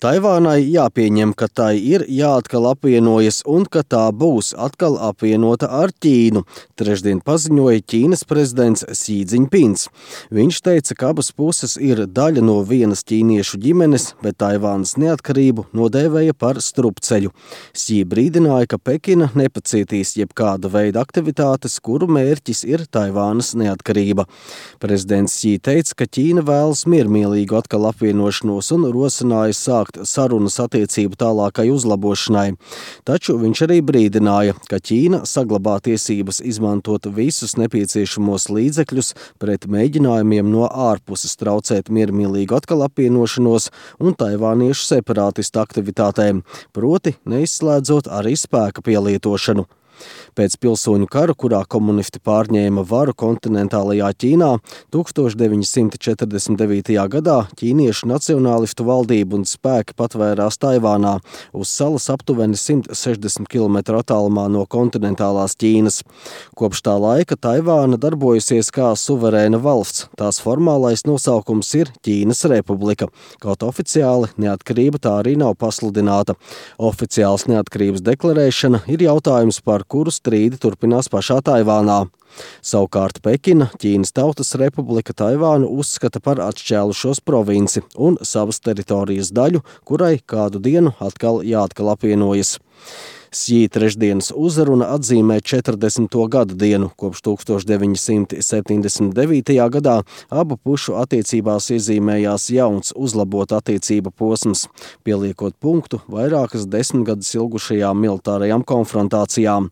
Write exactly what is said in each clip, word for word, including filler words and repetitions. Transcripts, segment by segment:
Taivānai jāpieņem, ka tai ir jāatkal apvienojas un ka tā būs atkal apvienota ar Ķīnu, trešdien paziņoja Ķīnas prezidents Xi Džiņpings. Viņš teica, ka abas puses ir daļa no vienas ķīniešu ģimenes, bet Taivānas neatkarību nodēvēja par strupceļu. Xi brīdināja, ka Pekina nepacietīs jebkāda veida aktivitātes, kuru mērķis ir Taivānas neatkarība. Prezidents Xi teica, ka Ķīna vēlas miermīlīgu atkal apvienošanos un rosināja sākt sarunas attiecību tālākai uzlabošanai. Taču viņš arī brīdināja, ka Ķīna saglabā tiesības izmantot visus nepieciešamos līdzekļus pret mēģinājumiem no ārpuses traucēt miermīlīgu atkal apvienošanos un taivāniešu separātistu aktivitātēm, proti neizslēdzot arī spēka pielietošanu. Pēc pilsoņu kara, kurā komunisti pārņēma varu kontinentālajā Ķīnā, tūkstoš deviņi simti četrdesmit devītajā gadā ķīniešu nacionālistu valdība un spēki patvērās Taivānā, uz salas aptuveni simt sešdesmit kilometru attālumā no kontinentālās Ķīnas. Kopš tā laika Taivāna darbojusies kā suverēna valsts. Tās formālais nosaukums ir Ķīnas republika, kaut oficiāli neatkarība tā arī nav pasludināta. Oficiāls neatkarības deklarēšana ir jautājums, par kuru strīdi turpinās pašā Taivānā. Savukārt Pekina, Ķīnas Tautas Republika, Taivānu uzskata par atšķēlušos provinci un savas teritorijas daļu, kurai kādu dienu atkal jāatkal apvienojas. Xi trešdienas uzruna atzīmē četrdesmito gadu dienu, kopš tūkstoš deviņi simti septiņdesmit devītajā gadā abu pušu attiecībās iezīmējās jauns uzlabot attiecību posms, pieliekot punktu vairākas desmitgadus ilgušajām militārajām konfrontācijām.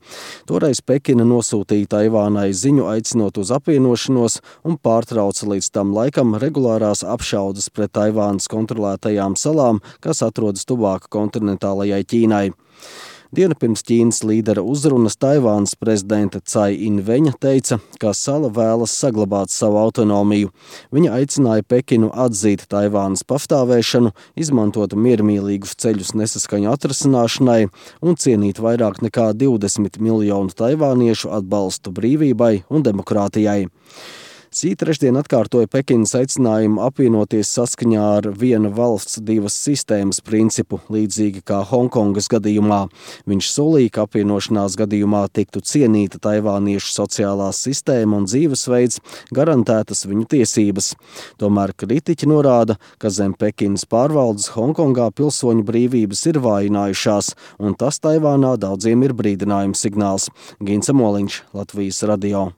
Toreiz Pekina nosūtīja Taivānai ziņu aicinot uz apvienošanos un pārtrauca līdz tam laikam regulārās apšaudes pret Taivānas kontrolētajām salām, kas atrodas tuvāk kontinentālajai Ķīnai. Dienu pirms Ķīnas līdera uzrunas Taivānas prezidenta Cai Inveņa teica, ka sala vēlas saglabāt savu autonomiju. Viņa aicināja Pekinu atzīt Taivānas pastāvēšanu, izmantot miermīlīgus ceļus nesaskaņu atrasināšanai un cienīt vairāk nekā divdesmit miljonu taivāniešu atbalstu brīvībai un demokrātijai. Xi trešdien atkārtoja Pekinas aicinājumu apvienoties saskaņā ar viena valsts divas sistēmas principu, līdzīgi kā Honkongas gadījumā. Viņš solīja, ka apvienošanās gadījumā tiktu cienīta taivāniešu sociālā sistēma un dzīvesveids, garantētas viņu tiesības. Tomēr kritiķi norāda, ka zem Pekinas pārvaldes Honkongā pilsoņu brīvības ir vājinājušās, un tas Taivānā daudziem ir brīdinājums signāls. Gints Moliņš, Latvijas radio.